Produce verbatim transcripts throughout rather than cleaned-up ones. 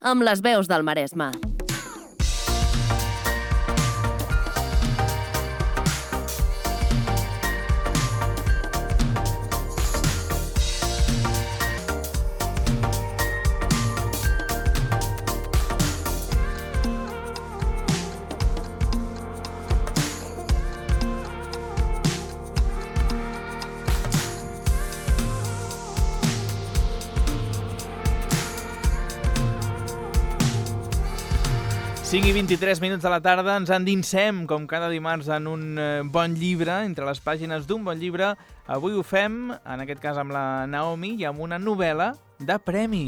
amb les veus del Maresme. cinc i vint-i-tres minuts de la tarda, ens endinsem, com cada dimarts, en un bon llibre, entre les pàgines d'un bon llibre. Avui ho fem, en aquest cas amb la Naomi, i amb una novel·la de premi.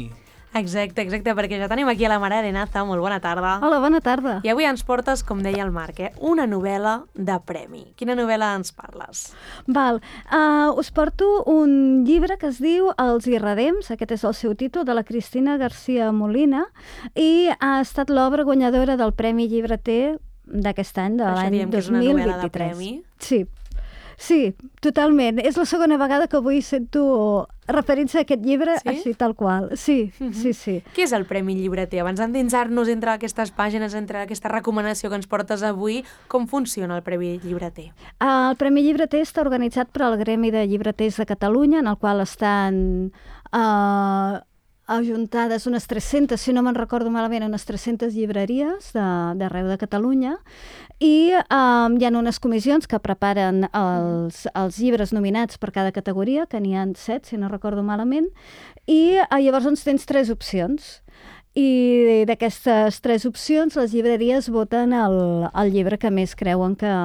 Exacte, exacte, perquè ja tenim aquí a la Mare Arenaza. Molt bona tarda. Hola, bona tarda. I avui ens portes, com deia el Marc, eh, una novel·la de premi. Quina novel·la ens parles? Val, uh, us porto un llibre que es diu Els Irredems, aquest és el seu títol, de la Cristina García Molina, i ha estat l'obra guanyadora del Premi Llibreter d'aquest any, de l'any dos mil vint-i-tres. Això diem que és una novel·la de premi? Sí. Sí, totalment. És la segona vegada que avui sento referir-se a aquest llibre, sí? Així tal qual. Sí, uh-huh. sí, sí. Què és el Premi Llibreter? Abans d'endinsar-nos entre aquestes pàgines, entre aquesta recomanació que ens portes avui, com funciona el Premi Llibreter? Uh, el Premi Llibreter està organitzat per al Gremi de Llibreters de Catalunya, en el qual estan uh, ajuntades unes tres-centes, si no me'n recordo malament, unes tres-centes llibreries d'arreu de, de Catalunya, i um, hi ha unes comissions que preparen els, els llibres nominats per cada categoria, que n'hi ha set, si no recordo malament, i uh, llavors doncs, tens tres opcions. I d'aquestes tres opcions, les llibreries voten el, el llibre que més creuen que,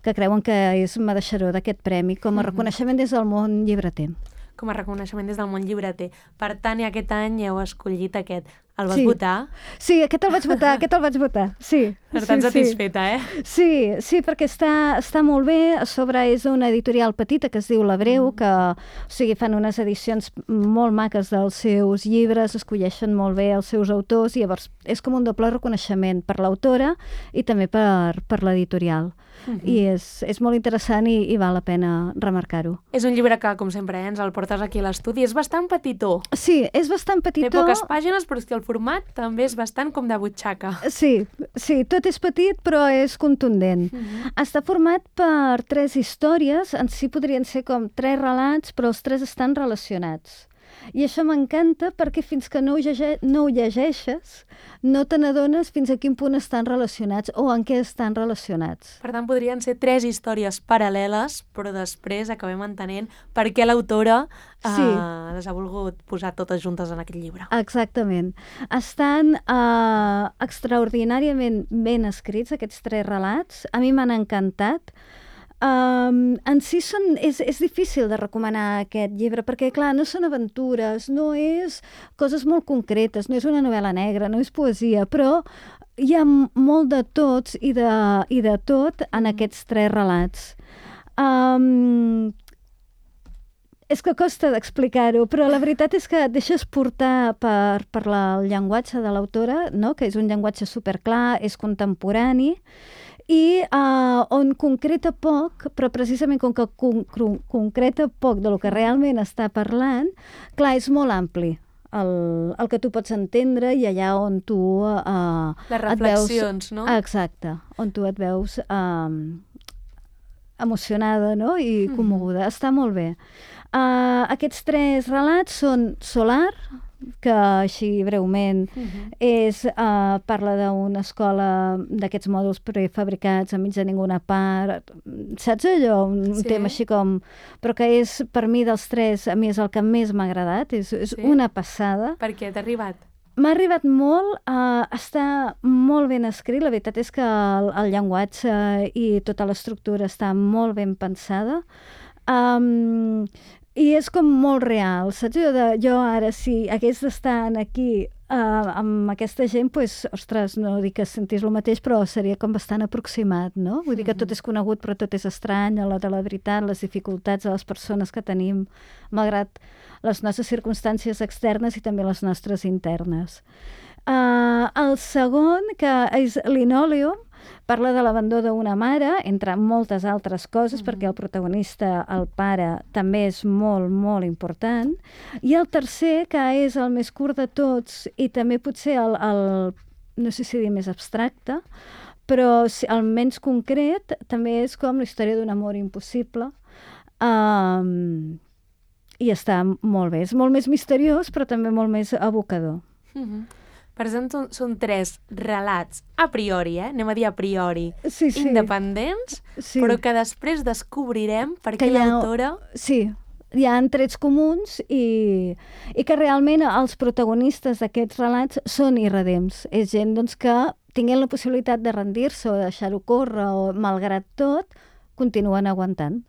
que creuen que és mereixedor d'aquest premi, com a uh-huh. reconeixement des del món llibreter. Com a reconeixement des del món llibreter. Per tant, i aquest any heu escollit aquest. El vas sí. votar? Sí, aquest el vaig votar, aquest el vaig votar, sí. Per tant, sí, satisfeta, sí. eh? Sí, sí, perquè està, està molt bé. A sobre és una editorial petita que es diu La Breu, mm. que o sigui, fan unes edicions molt maques dels seus llibres, escolleixen molt bé els seus autors, i llavors és com un doble reconeixement per l'autora i també per, per l'editorial. Mm-hmm. I és, és molt interessant i, i val la pena remarcar-ho. És un llibre que, com sempre, eh, ens el portes aquí a l'estudi. És bastant petitó. Sí, és bastant petitó. Té poques pàgines, però és que el format també és bastant com de butxaca. Sí, sí, tot és petit, però és contundent. Mm-hmm. Està format per tres històries, en si podrien ser com tres relats, però els tres estan relacionats. I això m'encanta perquè fins que no ho, llege no ho llegeixes, no te n'adones fins a quin punt estan relacionats o en què estan relacionats. Per tant, podrien ser tres històries paral·leles, però després acabem entenent per què l'autora sí. eh, les ha volgut posar totes juntes en aquest llibre. Exactament. Estan eh, extraordinàriament ben escrits, aquests tres relats. A mi m'han encantat. Um, en si són, és, és difícil de recomanar aquest llibre perquè, clar, no són aventures, no és coses molt concretes, no és una novel·la negra, no és poesia, però hi ha molt de tots i de, i de tot en aquests tres relats. Um, és que costa d'explicar-ho, però la veritat és que et deixes portar per, per la, el llenguatge de l'autora, no? Que és un llenguatge superclar, és contemporani, i uh, on concreta poc, però precisament com que con con concreta poc de lo que realment està parlant, clar, és molt ampli el, el que tu pots entendre i allà on tu uh, les reflexions, et veus, no? Exacte, on tu et veus um, emocionada, no? I commoguda. Mm. Està molt bé. Uh, aquests tres relats són Solar, que així breument uh-huh. és, uh, parla d'una escola d'aquests mòduls prefabricats enmig de ninguna part, saps allò? Un sí. tema així com... Però que és, per mi, dels tres, a mi és el que més m'ha agradat, és, és sí? una passada. Per què t'ha arribat? M'ha arribat molt, uh, està molt ben escrit, la veritat és que el, el llenguatge i tota l'estructura està molt ben pensada. Um, I és com molt real, saps? Jo, de, jo ara, si hagués d'estar aquí uh, amb aquesta gent, pues, ostres, no dic que sentís el mateix, però seria com bastant aproximat, no? Vull dir que tot és conegut, però tot és estrany, a l'hora de la veritat, les dificultats de les persones que tenim, malgrat les nostres circumstàncies externes i també les nostres internes. Uh, el segon, que és Linoleum, Parla de l'abandó d'una mare, entre moltes altres coses, Mhm. perquè el protagonista, el pare, també és molt, molt important. I el tercer, que és el més curt de tots, i també potser el, el no sé si dir més abstracte, però si- el menys concret, també és com la història d'un amor impossible. Um, I està molt bé. És molt més misteriós, però també molt més evocador. Mhm. Per tant, són, són tres relats a priori, eh? Anem a dir a priori, Sí, sí. independents, Sí. però que després descobrirem per Que què hi ha- l'autora... Sí, hi ha trets comuns i, i que realment els protagonistes d'aquests relats són irredems. És gent doncs, que tinguent la possibilitat de rendir-se o de deixar-ho córrer o malgrat tot, continuen aguantant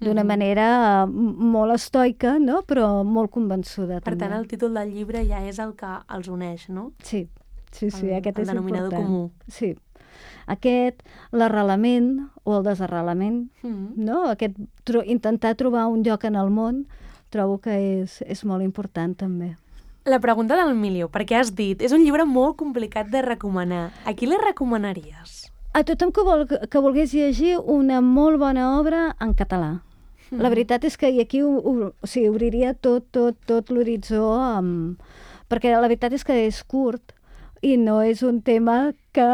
d'una Mhm. manera eh, m- molt estoica, no? Però molt convençuda. Per també. tant, el títol del llibre ja és el que els uneix, no? Sí, sí, sí, El- aquest el és denominador important. comú. Sí. Aquest, l'arrelament o el desarrelament, Mhm. no? Aquest, tro intentar trobar un lloc en el món, trobo que és, és molt important també. La pregunta del milió, perquè has dit, és un llibre molt complicat de recomanar. A qui li recomanaries? A tothom que, vol, que volgués llegir una molt bona obra en català. La veritat és que i aquí ho, ho, o sigui, obriria tot, tot, tot l'horitzó, amb... perquè la veritat és que és curt i no és un tema que...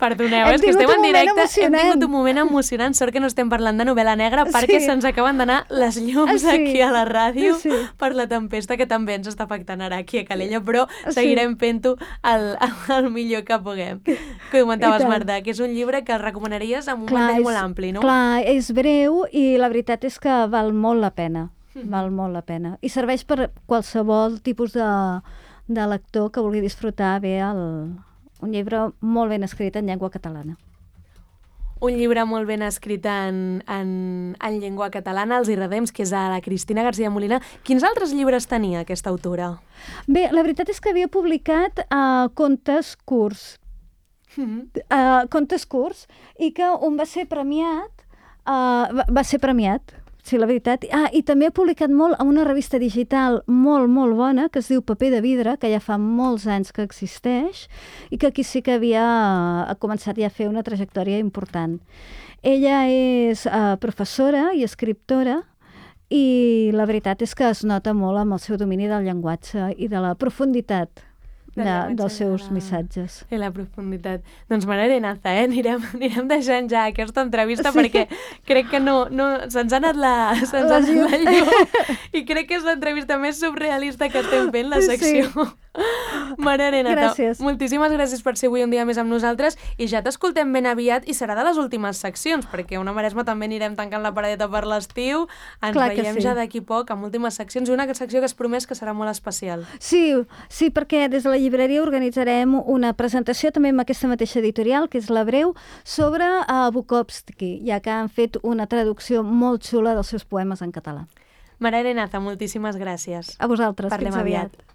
Perdoneu, Hem és que tingut estem un en moment directe, hem emocionant. tingut un moment emocionant, sort que no estem parlant de novel·la negra perquè Sí. se'ns acaben d'anar les llums Ah, sí. aquí a la ràdio Sí. per la tempesta que també ens està afectant ara aquí a Calella, però Sí. seguirem fent-ho el, el millor que puguem. Que comentaves, I tant. Marta, que és un llibre que recomanaries amb un Clar, mantell és- molt ampli, no? Clar, és breu i la veritat és que val molt la pena. Mhm. Val molt la pena. I serveix per qualsevol tipus de, de lector que vulgui disfrutar bé el, un llibre molt ben escrit en llengua catalana. Un llibre molt ben escrit en, en, en llengua catalana, Els Irredems, que és de la Cristina García Molina. Quins altres llibres tenia aquesta autora? Bé, la veritat és que havia publicat uh, contes curts, Mhm. uh, contes curts, i que un va ser premiat, uh, va, va ser premiat, sí, la veritat. Ah, i també ha publicat molt en una revista digital molt, molt bona, que es diu Paper de Vidre, que ja fa molts anys que existeix, i que aquí sí que havia ha començat ja a fer una trajectòria important. Ella és uh, professora i escriptora, i la veritat és que es nota molt amb el seu domini del llenguatge i de la profunditat Del de, llenguatge dels seus de la- missatges. I la profunditat. Doncs Mare Arenaza, eh? Anirem, anirem deixant ja aquesta entrevista Sí. perquè crec que no, no se'ns ha anat la, se'ns ha anat la llum i crec que és l'entrevista més surrealista que estem fent, la Sí. secció. Mare Arenaza, Gràcies. moltíssimes gràcies per ser avui un dia més amb nosaltres i ja t'escoltem ben aviat i serà de les últimes seccions perquè a Una Maresma també anirem tancant la paradeta per l'estiu, ens Clar que veiem sí. ja d'aquí poc amb últimes seccions i una secció que es promès que serà molt especial. Sí, sí, perquè des de la llibreria organitzarem una presentació també amb aquesta mateixa editorial, que és La Breu, sobre uh, Bukowski, ja que han fet una traducció molt xula dels seus poemes en català. Mare Arenaza, moltíssimes gràcies. A vosaltres, Parlem fins aviat. aviat.